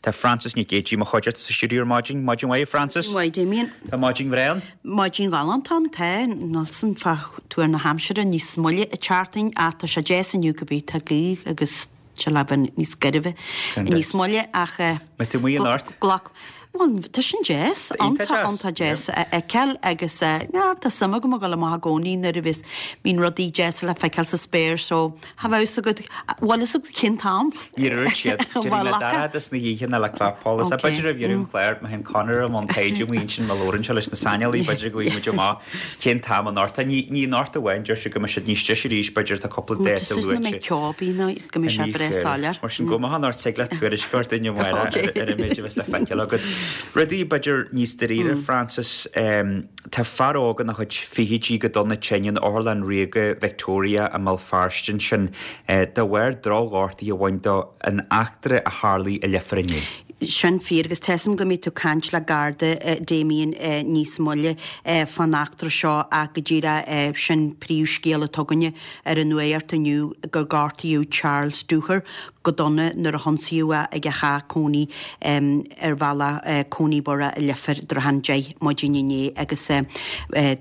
Tá Frances Nic Géadaigh i mo chuideachta sa stiúideo ar maidin. Maidin mhaith, a Frances. Maidin mhaith, Damien. Tá maidin bhreá ann. Maidin ghalánta ann, tá. Níl 's a'm fá tuar na haimsire níos moille an tseachtain ach tá sé deas inniu cibé, tá gaoth agus tá sé le bheith níos gairbhe níos moille ach Mbeidh tú amuigh anocht? Glac Bhuel, tá sin deas, Iontach deas. iontach deas a fheiceáil agus yeah, tá suim agam a dhul amach i gcónaí nuair a bhíos, bíonn rudaí deasa le feiceáil sa spéir so cha bheadh fhios agat, bhfuil fhios agat cén t-am? Níor dhúirt siad. Déarfainn le dorchadas na hoíche ná le clapsholas. B'fhéidir roimh dheireadh an chláir, má théann Conor i mbun taighde amuigh ansin má labhrann sé leis na saineolaithe, b'fhéidir go bhfaighidh muid amach cén t-am anocht. Ní ní anocht amháin, deir siad go mbeidh siad níos deise arís, b'fhéidir tá cúpla dáta luaite. Tá mé ceobaí nó go mbeidh sé breá soiléir. Mar sin gabh amach anocht tig leat tuairisc a thabhairt dúinn amárach ar an méid a bheas le feiceáil agat. Rudaí b'fhéidir níos dáiríre, Frances, tá fear óg ina chuid fichidí go dona tinn in Otharlann Ríoga Victoria i mBéal Feirste ansin de bharr drochghortaithe a bhain dó in eachtra a tharlaigh i Leifear inné. Sin fíor agus tá 'fhios a'm go mbeidh tú ag caint le Garda, Damien, níos moille fán eachtra seo ach go díreach sin príomhscéal atá againne ar an nuacht inniu gur gortaíodh Charles Dooher go dona nuair a hionsaíodh é ag a theach cónaí ar bhealach Coneyburgh i Leifear i dtrátha an 10 maidin inné agus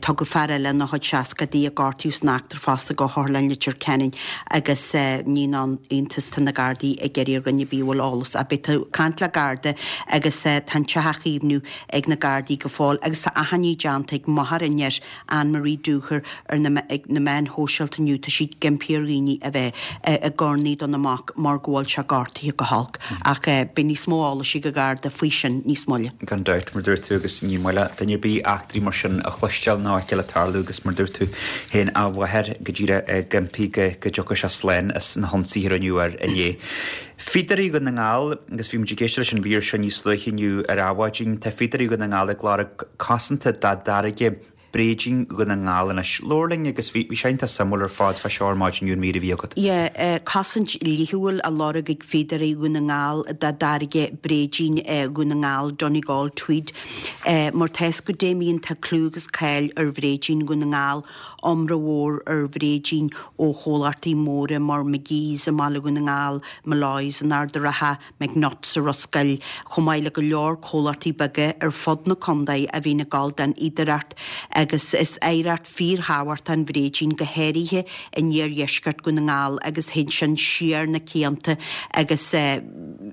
tugadh fear eile ina chuid seascaidí a gortaíodh san eachtra fosta go hOtharlann Leitir Ceanainn agus ní haon iontas tá na Gardaí ag iarraidh ar dhuine ar bith a bhfuil eolas ach beidh tú ag caint le Garda agus tá an teach á chaomhnú ag na Gardaí go fóill agus tá achainí déanta ag máthair an fhir Anne Marie Dooher ar na ag na meáin shóisialta inniu tá sí ag impí ar dhaoine a bheith ag urnaí dona mac mar go bhfuil sé gortaithe go holc ach beidh níos mó eolais ag an Gharda faoi sin níos moille. Gan dabht, mar dúirt tú, agus ní maith le duine ar bith eachtraí mar sin a chloisteáil ná a fheiceáil ag tarlú agus mar dúirt tú féin a mháthair go díreach ag impí go dtiocfadh sé slán as na hionsaithe a rinneadh air inné. Fíodóirí Dhún na nGall, agus bhí muid ag éisteacht leis an mhír seo níos luaithe inniu ar Adhmhaidin, tá Fíodóirí Dhún na nGall ag lorg cosanta dá dtáirge Bréidín Dhún na nGall anois. Labhair linn agus bhí sé iontach suimiúil ar fad fá seo ar maidin inniu an mhír a bhí agat. Yeah, cosaint dhlíthiúil á lorg ag Fíodóirí Dhún na nGall dá dtáirge Bréidín Dhún na nGall, Donegal Tweed. Mar tá 'fhios agat Damien tá clú agus cáil ar Bhréidín Dhún na Ngall, iomrá mhór ar bhréidín ó chomhlachtaí móra mar McGee's i mBaile Dhún na nGall, Molloy's in Ard a' Rátha, McNutt's sa Ros Goill, chomh maith le go leor comhlachtaí beaga ar fud na contae a bhíonn ag gabháil don fhíodóireacht agus is oidhreacht fíorthábhachtach an bhréidín, go háirithe in iardheisceart Dhún na nGall agus théann sin siar na cianta agus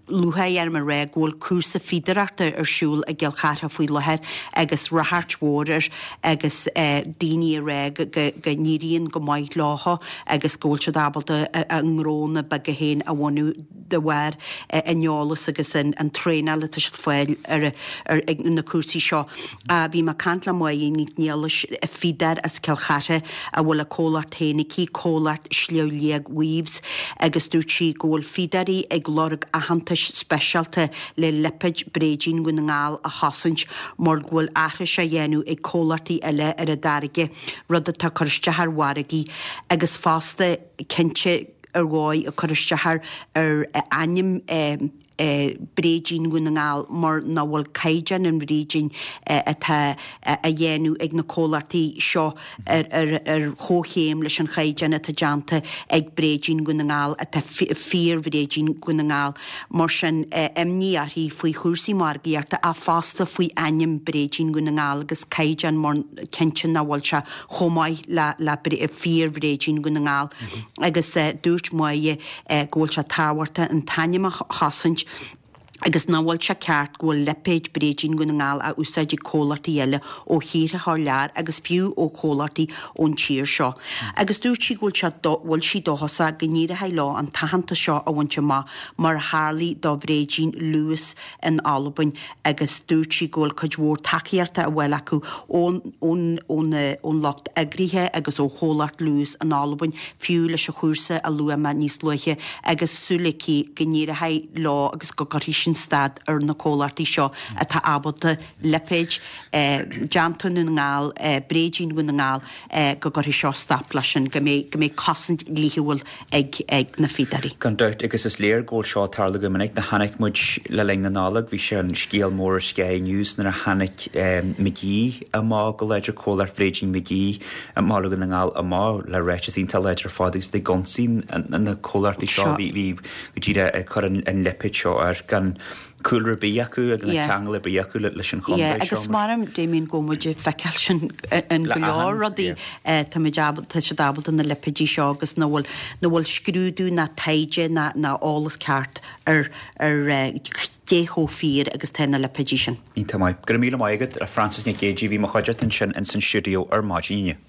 lúcháir orm a rá go bhfuil cúrsa fíodóireachta ar siúl i gCill Chartha faoi láthair agus ráchairt mhór air agus daoine ag rá go n-éiríonn go maith leo agus go bhfuil siad ábalta a ngnónna beaga féin a bhunú de bharr an eolas agus an traenáil atá siad fáil ar ag na cúrsaí seo. Bhí mé ag caint le Máire Nic Niallais, fíodóir as Cill Chartha a bhfuil a comhlacht féin aici, comhlacht Sliabh Liag Weaves, agus dúirt sí go bhfuil fíodóirí ag lorg aitheantais speisialta le lipéad Bréidín Dhún na nGall a chosaint mar go bhfuil aithris á dhéanamh ag comhlachtaí eile ar a dtáirge, rud atá ag cur isteach ar mhargaí agus fosta cinnte ar dhóigh ag cur isteach ar ar ainm Bréidín Dhún na nGall mar nach bhfuil caighdeán an bhréidín atá á dhéanamh ag na comhlachtaí seo ar ar chomhchéim leis an chaighdeán atá déanta ag Bréidín Dhún na nGall atá fíor-Bhréidín Dhún na nGall. Mar sin, imní uirthi faoi chúrsaí margaíochta ach fosta faoi ainm Bréidín Dhún na nGall agus caighdeán mar cinnte nach bhfuil sé chomh maith le le fíor-Bhréidín Dhún na nGall agus dúirt Máire go bhfuil sé tábhachtach an t-ainm a chosaint agus nach bhfuil sé ceart go bhfuil lipéad Bréidín Dhún na nGall á úsáid ag comhlachtaí eile ó thíortha thar lear agus fiú ó chomhlachtaí ón tír seo. Agus dúirt sí go bhfuil sé bhfuil sí dóchasach go n-éireoidh leo an t-aitheantas seo a bhaint amach mar a tharlaigh do Bhréidín Lewis in Albain agus dúirt sí go bhfuil cuid mhór tacaíochta á fháil acu ón ón ón ón lucht eagraithe agus ó chomhlacht Lewis in Albain, fiú leis an chúrsa a luaigh mé níos luaithe, agus súil aici go n-éireoidh leo agus go gcuirfidh sin stad ar na comhlachtaí seo atá ábalta lipéid déanta i nDún na nGall, Bréidín Dhún na nGall, go gcuirfidh seo stop leis sin, go mbeidh go mbeidh cosaint dhlíthiúil ag ag na fíodóirí. Gan dabht, agus is léir go bhfuil seo ag tarlú go minic. Nuair a chonaic muid le linn na Nollag, bhí sé an scéal mór ar Sky News nuair a tháinig McGee amach go láidir, comhlacht Bhréidín McGee i mBaile Dhún na nGall amach le ráiteas iontach láidir ar fad agus iad ag ionsaí na comhlachtaí seo. Bhí go díreach ag cur an lipéad seo air gan. cúlra ar bith acu agus ná ceangal ar bith acu leis an chontae seo. Yeah, agus maram Damien go bhfuil muid ag feiceáil sin in go leor rudaí. Táimid ábalta, tá siad ábalta na lipéidí seo agus nach bhfuil, nach bhfuil scrúdú ná taighde ná ná eolas ceart ar ar cé chomh fíor agus tá na lipéidí sin. Iontach maith. Go raibh míle maith agat, a Frances Nic Géidigh, bhí mo chuideachta ansin ins an stiúideo ar maidin inniu.